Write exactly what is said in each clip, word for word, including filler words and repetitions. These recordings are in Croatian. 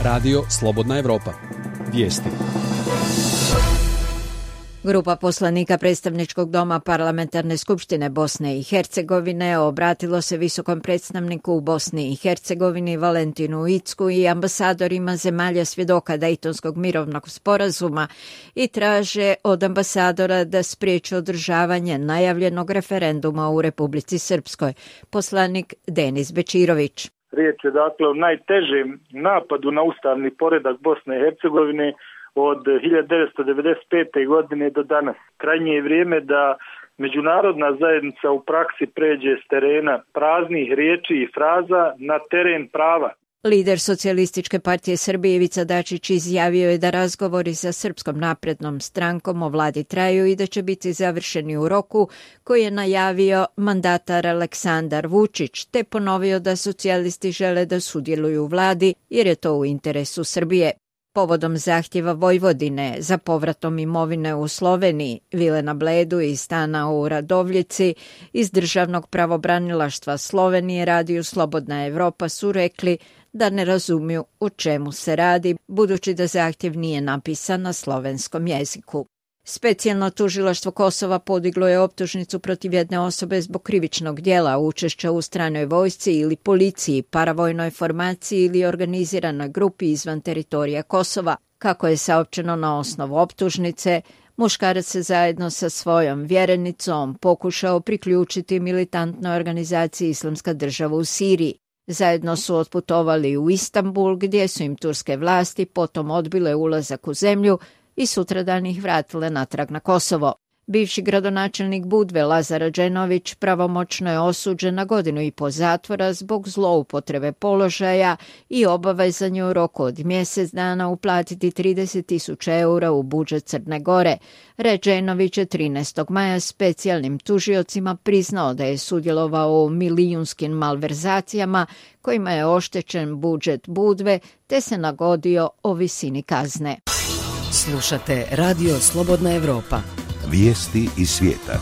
Radio Slobodna Evropa. Vijesti. Grupa poslanika Predstavničkog doma Parlamentarne skupštine Bosne i Hercegovine obratilo se visokom predstavniku u Bosni i Hercegovini Valentinu Incku i ambasadorima zemalja svjedoka Dejtonskog mirovnog sporazuma i traže od ambasadora da spriječe održavanje najavljenog referenduma u Republici Srpskoj. Poslanik Denis Bečirović. Riječ je dakle o najtežem napadu na ustavni poredak Bosne i Hercegovine od hiljadu devetsto devedeset pete. godine do danas. Krajnje je vrijeme da međunarodna zajednica u praksi pređe s terena praznih riječi i fraza na teren prava. Lider Socijalističke partije Srbije Ivica Dačić izjavio je da razgovori sa Srpskom naprednom strankom o vladi traju i da će biti završeni u roku koji je najavio mandatar Aleksandar Vučić, te ponovio da socijalisti žele da sudjeluju u vladi jer je to u interesu Srbije. Povodom zahtjeva Vojvodine za povratom imovine u Sloveniji, vile na Bledu i stana u Radovljici iz Državnog pravobranilaštva Slovenije Radiju Slobodna Evropa su rekli da ne razumiju o čemu se radi, budući da zahtjev nije napisan na slovenskom jeziku. Specijalno tužilaštvo Kosova podiglo je optužnicu protiv jedne osobe zbog krivičnog djela učešća u stranoj vojsci ili policiji, paravojnoj formaciji ili organiziranoj grupi izvan teritorija Kosova. Kako je saopćeno na osnovu optužnice, muškarac se zajedno sa svojom vjerenicom pokušao priključiti militantnoj organizaciji Islamska država u Siriji. Zajedno su otputovali u Istanbul, gdje su im turske vlasti potom odbile ulazak u zemlju i sutradan ih vratile natrag na Kosovo. Bivši gradonačelnik Budve Lazar Adženović pravomoćno je osuđen na godinu i po zatvora zbog zloupotrebe položaja i obavezan je u roku od mjesec dana uplatiti trideset tisuća eura u budžet Crne Gore. Adženović je trinaestog maja specijalnim tužiocima priznao da je sudjelovao u milijunskim malverzacijama kojima je oštećen budžet Budve, te se nagodio o visini kazne. Slušate Radio Slobodna Evropa. Vijesti iz svijeta.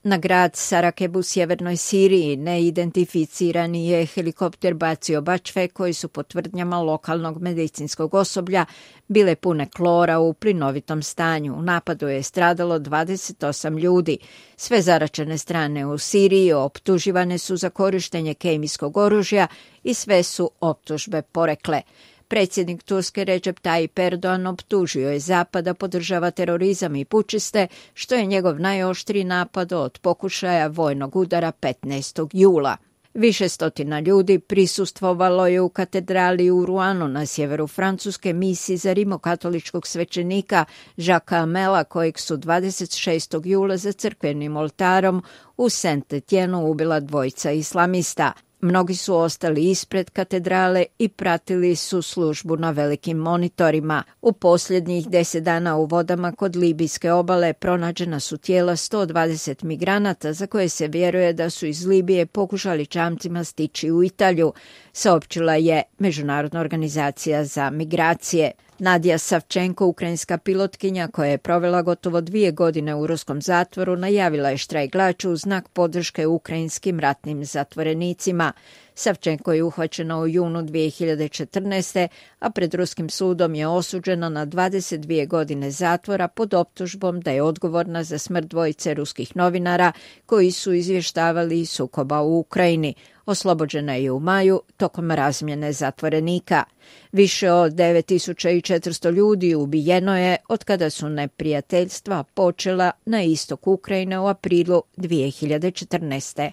Na grad Sarakeb u sjevernoj Siriji neidentificirani je helikopter bacio bačve koji su po tvrdnjama lokalnog medicinskog osoblja bile pune klora u plinovitom stanju. U napadu je stradalo dvadeset osam ljudi. Sve zaraćene strane u Siriji optuživane su za korištenje kemijskog oružja i sve su optužbe porekle. Predsjednik Turske Recep Tayyip Erdogan optužio je Zapad da podržava terorizam i pučiste, što je njegov najoštriji napad od pokušaja vojnog udara petnaestog jula. Više stotina ljudi prisustvovalo je u katedrali u Ruanu na sjeveru Francuske misiji za rimokatoličkog svećenika Jacquesa Amela, kojeg su dvadeset šestog jula za crkvenim oltarom u Saint-Étienne ubila dvojica islamista. Mnogi su ostali ispred katedrale i pratili su službu na velikim monitorima. U posljednjih deset dana u vodama kod Libijske obale pronađena su tijela sto dvadeset migranata za koje se vjeruje da su iz Libije pokušali čamcima stići u Italiju, saopćila je Međunarodna organizacija za migracije. Nadija Savčenko, ukrajinska pilotkinja koja je provela gotovo dvije godine u ruskom zatvoru, najavila je štrajk glađu u znak podrške ukrajinskim ratnim zatvorenicima. Savčenko je uhvaćena u junu dvije hiljade četrnaeste. a pred ruskim sudom je osuđena na dvadeset dvije godine zatvora pod optužbom da je odgovorna za smrt dvojice ruskih novinara koji su izvještavali sukoba u Ukrajini. Oslobođena je u maju tokom razmjene zatvorenika. Više od devet tisuća četiristo ljudi ubijeno je od kada su neprijateljstva počela na istok Ukrajine u aprilu dvije hiljade četrnaeste.